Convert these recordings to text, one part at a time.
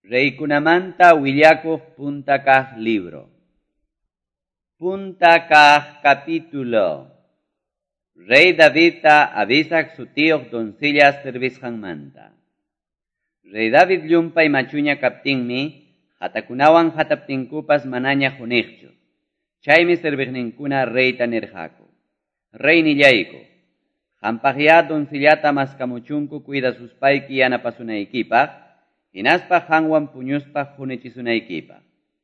Reykunamanta willakuq punta kaq libro. Punta kaq capítulo. Rey Davidta Abisak sutiyuq doncella servisqanmanta. Rey David llumpay machuña kaptinmi, hatakunawan hataptinkupas manaña huniqchu. Chaymi serviqninkuna reyta nirqaku. Reynillayku, qampaqyá doncellata maskamuchunku cuidasuspayki yanapasunaykipaq, hinaspa qanwan puñuspa hunichisunaykipaq,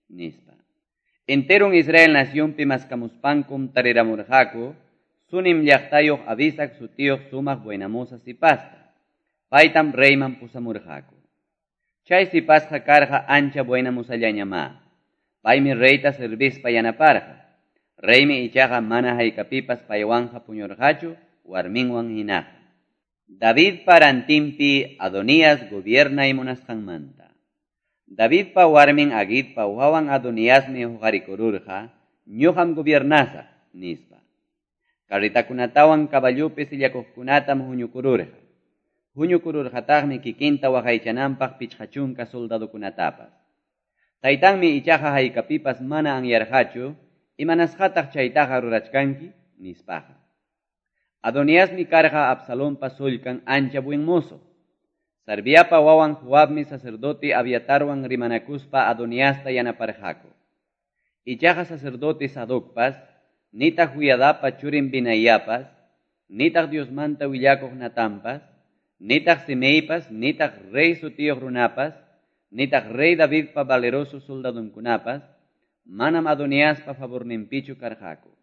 nispa. Enteron Israel nacionpi maskamuspankum tariramurqaku, Sunim llaqtayuq Abisak sutiyuq sumaq buenamoza sipasta. Paytam reyman pusamurqaku. Chay sipasqa karqa ancha buenamozallañamá. Paymi reyta servispa yanaparqa. Reymi ichaqa mana haykapipas paywanqa puñurqachu warminwan hinaqa. Davidpa rantinpi Adonías gobiernay munasqanmanta. Davidpa warmin Agitpa wawan Adoniasmi huqarikururqa, ñuqam gobiernasaq, nispa. Carritakunatawan caballupi sillakuqkunatam huñukururqa. Huñukururqataqmi kikinta waqaychananpaq 50 soldadokunatapas. Taytanmi ichaqa haykapipas mana anyarqachu, imanasqataq chaytaqa rurachkanki, nispaqa. Adoniasmi karqa Absalonpa sullkan ancha buen mozo. Sarviapa wawan Joabmi sacerdote Abiatarwan rimanakuspa Adoniasta yanaparqaku. Ichaqa sacerdote Sadocpas, nitaq Joiadapa churin Binaiapas, nitaq Diosmanta willakuq Natanpas, nitaq Simeipas, nitaq rey sutiyuq runapas, nitaq rey Davidpa valeroso soldadunkunapas, manam Adoniaspa favorninpichu karqaku.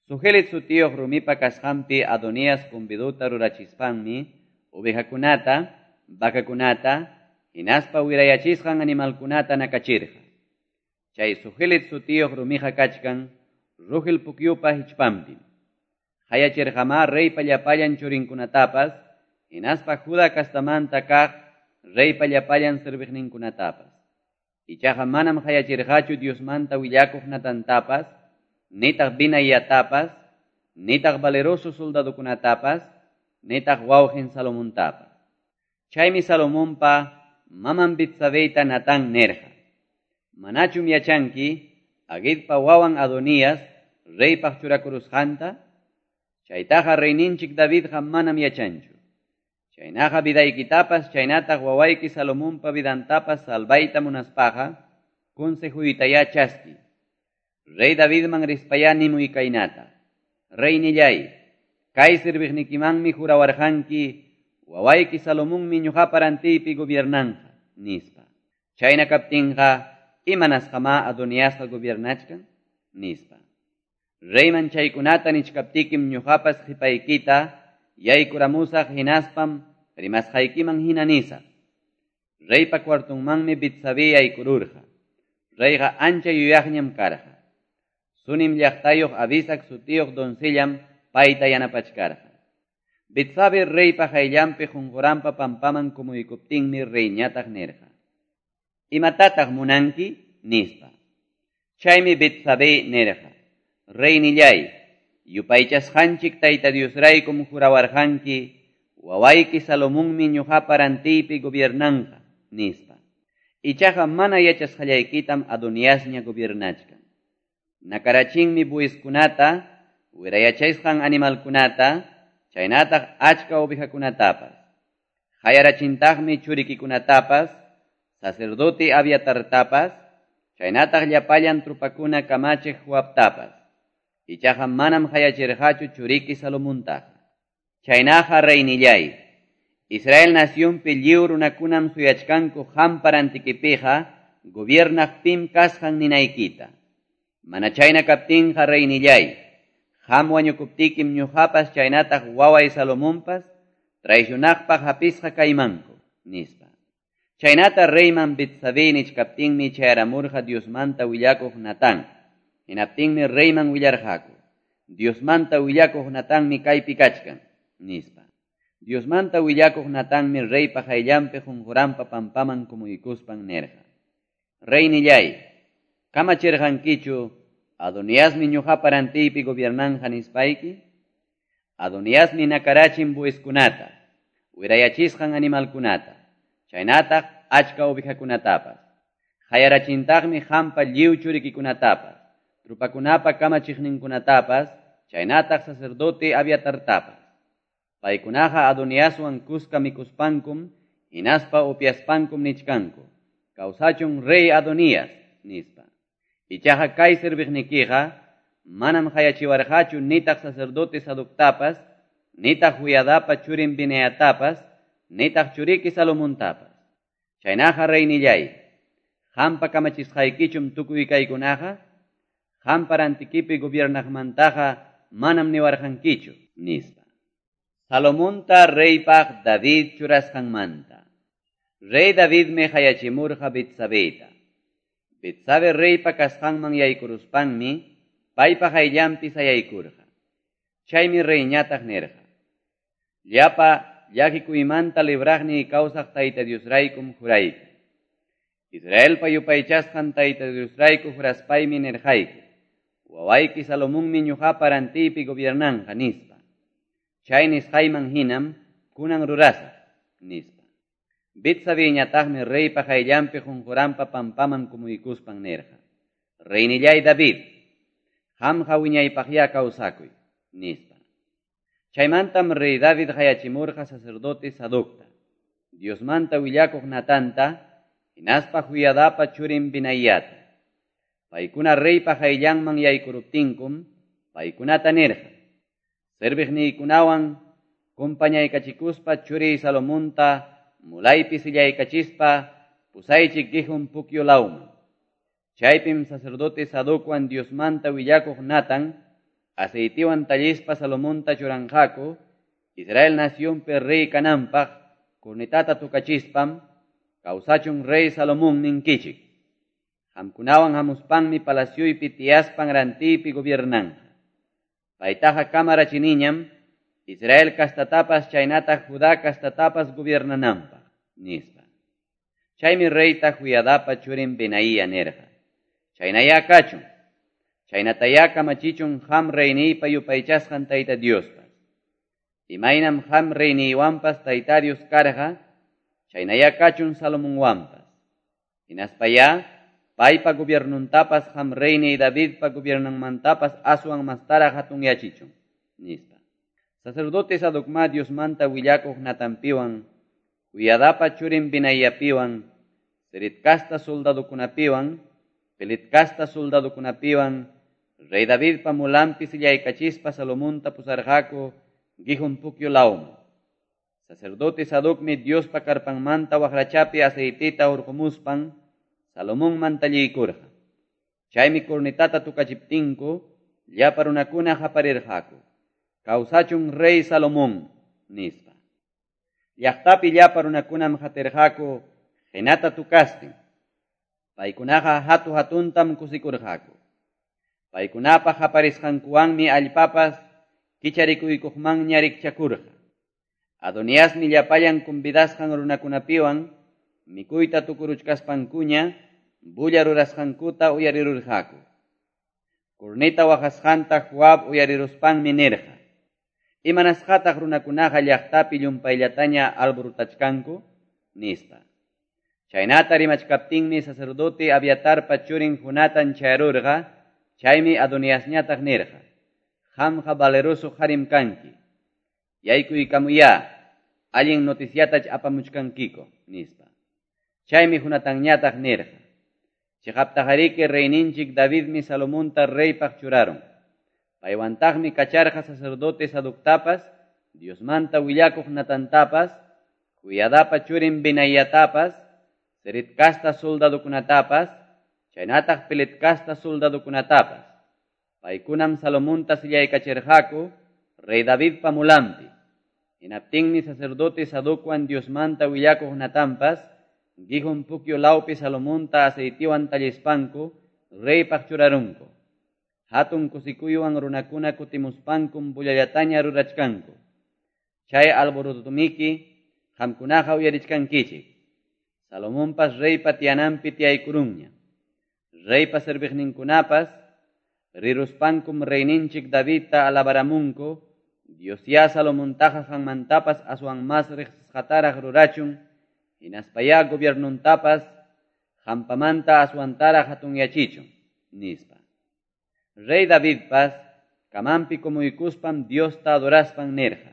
Zohelet sutiyuq rumipa kasqanpi Adonías convidota rurachispanmi, ovejakunata, vacakunata, hinaspa wirayachisqan animalkunata nakachirqa. Chay Zohelet sutiyuq rumiqa kachkan, Rugel pukyupa hichpanpim. Qayachirqamá reypa llapallan churinkunatapas, hinaspa Juda kastamanta kaq reypa llapallan serviqninkunatapas. Ichaqa manam qayachirqachu Diosmanta willakuq Natantapas, nitaq Binaiatapas, nitaq valeroso soldadokunatapas, nitaq wawqin Salomontapas. Chaymi Salomonpa maman Betsabeyta Natán nirqa. Manachum yachanki, Agitpa wawan Adonías, reypaq churakurusqanta, chaytaqa reyninchik Davidqa manam yachanchu. Chaynaqa vidaykitapas, chaynataq wawayki Salomonpa vidantapas salvayta munaspaqa, consejuytayá chaski. Rey Davidman rispayá nimuy kaynata. Reynillay, kay serviqnikimanmi jurawarqanki, wawayki Salomonmi ñuqapa rantiypi gobiernanqa, nispa. Chayna kaptinqa, imanasqamá Adoniasqa gobiernachkan, nispa. Reyman chaykunata nichkaptikim ñuqapas qipaykita, yaykuramusaq hinaspam rimasqaykiman hina nisaq. Reypa cuartonmanmi Betsabé yaykururqa. Reyqa ancha yuyaqñam karqa. Sunim llaqtayuq Abisak sutiyuq doncellam payta yanapachkarqa. Betsabé reypa qayllanpi qunquranpa pampaman kumuykuptinmi reyñataq nirqa. Imatataq munanki? Nispa. Chaymi Betsabé nirqa. Reynillay, yupaychasqanchik Tayta Diosraykum jurawarqanki, wawayki Salomonmi ñuqapa rantiypi gobiernanqa, nispa. Ichaqa mana yachasqallaykitam Adoniasña gobiernachkan. Nakarachinmi bueyeskunata, wirayachasqan animalkunata, chaynataq achka ovejakunatapas. Qayarachintaqmi churikikunatapas, sacerdote Abiatartapas, chaynataq llapallan trupakuna kamachiq Joabtapas. Ichaqa manam qayachirqachu churiki Salomontaqa. Chaynaqa reynillay, Israel nacionpi lliw runakunam suyachkanku qampa rantikipiqa gobiernaq pim kasqan ninaykita. Mana chayna kaptinqa reynillay, qam wañukuptikim ñuqapas chaynataq waway Salomonpas traicionaqpaq hapisqa kaymanku, nispa. Chaynata reyman Betsabé nichkaptinmi chayaramurqa Diosmanta willakuq Natán. Hinaptinmi reyman willarqaku. Diosmanta willakuq Natanmi kaypi kachkan, nispa. Diosmanta willakuq Natanmi reypa qayllanpi qunquranpa pampaman kumuykuspan nirqa. Reynillay, kamachirqankichu Adoniasmi ñuqapa rantiypi gobiernanqa nispayki? Adoniasmi nakarachin bueyeskunata, wirayachisqan animalkunata, chaynataq achka ovejakunatapas. Qayarachintaqmi qampa lliw churikikunatapas, trupakunapa kamachiqninkunatapas, chaynataq sacerdote Abiatartapas. Paykunaqa Adoniaswan kuska mikuspankum, hinaspa upiaspankum nichkanku. Kawsachun rey Adonías, nispa. Ichaqa kay serviqnikiqa manam qayachiwarqachu nitaq sacerdote Sadoctapas, nitaq Joiadapa churin Benaiatapas, nitaq churiki Salomontapas. Chaynaqa reynillay, qampa kamachisqaykichum tukuy kaykunaqa, qampa rantikipi gobiernaqmantaqa manam niwarqankichu, nispa. Salomonta reypaq David churasqanmanta. Rey Davidmi qayachimurqa Betsabeta. Betsabe reypa kasqanman yaykuruspanmi paypa qayllanpi sayaykurqa. Chaymi reyñataq nirqa: Llapa llakikuymanta libraqniy kawsaq Tayta Diosraykum jurayki. Israelpa yupaychasqan Tayta Diosrayku juraspaymi nirqayki: Wawayki Salomonmi ñuqapa rantiypi gobiernanqa, nispa. Chay nisqayman hinam kunan rurasaq, nispa. Betsabeñataqmi reypa qayllanpi qunquranpa pampaman kumuykuspan nirqa: Reynillay David, qamqa wiñaypaqyá kawsakuy, nispa. Chaymantam rey David qayachimurqa sacerdote Sadocta, Diosmanta willakuq Natanta, hinaspa Joiadapa churin Benaiata. Paykuna reypa qayllanman yaykuruptinkum, paykunata nirqa: Serviqniykunawan kumpañaykachikuspa churiy Salomonta mulaypi sillaykachispa pusaychik Gihon pukyu lawman. Chaypim sacerdote Sadocwan Diosmanta willakuq Natan aceitiwan tallispa Salomonta churanqaku Israel nacionpi rey kananpaq cornetata tukachispam kawsachun rey Salomón ninkichik. Qamkunawan hamuspanmi palacioypi tiyaspan rantiypi gobiernanqa. Paytaqa kamarachiniñam Israel kastatapas chaynataq Judá kastatapas gobiernananpaq, nispa. Chaymi reyta Joiadapa churin Benaía nirqa: Chaynayá kachun, chaynatayá kamachichun qam reyniypa yupaychasqan Tayta Diospas. Imaynam qam reyniywanpas Tayta Dios karqa, chaynayá kachun Salomonwanpas. Hinaspayá paypa gobiernuntapas qam reyniy Davidpa gobiernanmantapas aswan mastaraq hatunyachichun, nispa. Sacerdote Sadocma Diosmanta willakuq Natanpiwan, Joiadapa churin Benaiapiwan, Ceret kasta soldadokunapiwan, Pelet kasta soldadokunapiwan, rey Davidpa mulanpi sillaykachispa Salomonta pusarqaku Gihon pukyu lawman. Sacerdote Sadocmi Diospa karpanmanta waqrachapi aceitita hurqumuspan Salomonman talliykurqa. Chaymi cornetata tukachiptinku llapa runakuna qaparirqaku: Kawsachun rey Salomón, nispa. Llaqtapi llapa runakunam qatirqaku qinata tukastin. Paykunaqa hatu hatuntam kusikurqaku. Paykunapa qaparisqankuwanmi allpapas kicharikuykuqmanña rikchakurqa. Adoniasmi llapallan convidasqan runakunapiwan mikuyta tukuruchkaspankuña bulla rurasqankuta uyarirurqaku. Corneta waqasqanta Joab uyariruspanmi nirqa: Imanasqataq runakunaqa llaqtapi llumpayllataña alborotachkanku, nispa. Chaynata rimachkaptinmi sacerdote Abiatarpa churin Jonatan chayarurqa, chaymi Adoniasñataq nirqa: Qamqa valeroso qarim kanki. Yaykuykamuyá, allin noticiatach apamuchkankiko, nispa. Chaymi Jonatanñataq nirqa: Chiqaptaqariki reyninchik Davidmi Salomonta reypaq churarun. Paywantaqmi kacharqa sacerdote Sadoctapas, Diosmanta willakuq Natantapas, Joiadapa churin Benaiatapas, Ceret kasta soldadokunatapas, chaynataq Pelet kasta soldadokunatapas. Paykunam Salomonta sillaykachirqaku rey Davidpa mulanpi. Hinaptinmi sacerdote Sadocwan Diosmanta willakuq Natanpas, Gihon pukyu lawpi Salomonta aceitiwan tallispanku reypaq churarunku. Hatun kusikuywan runakuna kutimuspankum bullallataña rurachkanku. Chay alborotumiki qamkunaqa uyarichkankichik. Salomonpas reypa tiyananpi tiyaykurunña. Reypa serviqninkunapas riruspankum reyninchik Davidta alabaramunku, Diosyá Salomontaqa qanmantapas aswan mas riqsisqataraq rurachun, Hinaspayá gobiernontapas hampamanta aswantaraq hatunyachichun, nispa. Rey Davidpas camanpi kumuykuspam Diosta adoraspan nirqa.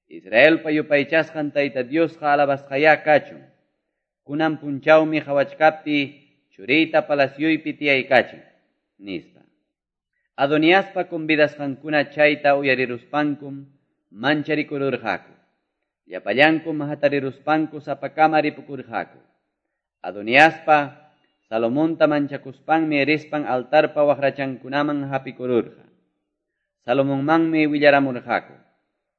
Israelpa yupaychasqan Tayta Diosqa alabasqayá kachun. Kunan punchawmi qawachkaptiy churiyta palacioypi tiyaykachin, nispa. Adoniaspa convidasqankuna chayta uyariruspankum mancharikururqaku. Llapallankum hatariruspanku sapakama ripukurqaku. Adoniaspa Salomonta manchakuspanmi rispan altarpa waqrachankunaman hapikururqa. Salomonmanmi willaramurqaku.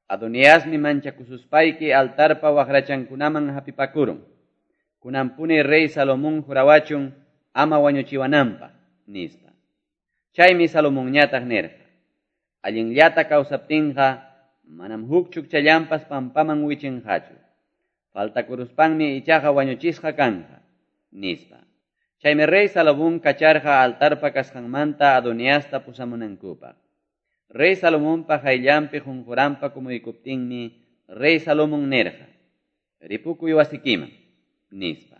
Adoniasmi manchakususpayki altarpa waqrachankunaman hapipakurun. Kunanpuni rey Salomón jurawachun ama wañuchiwananpaq, nispa. Chaymi Salomonñataq nirqa. Allinllata kawsaptinqa manam huk chukchallanpas pampaman wichinqachu. Faltakuruspanmi ichaqa wañuchisqa kanqa, nispa. Chaymi rey Salomón kacharqa altarpa kasqanmanta Adoniasta pusamunankupaq. Rey Salomonpa qayllanpi qunquranpa kumuykuptinmi rey Salomón nirqa: Ripukuy wasikiman, nispa.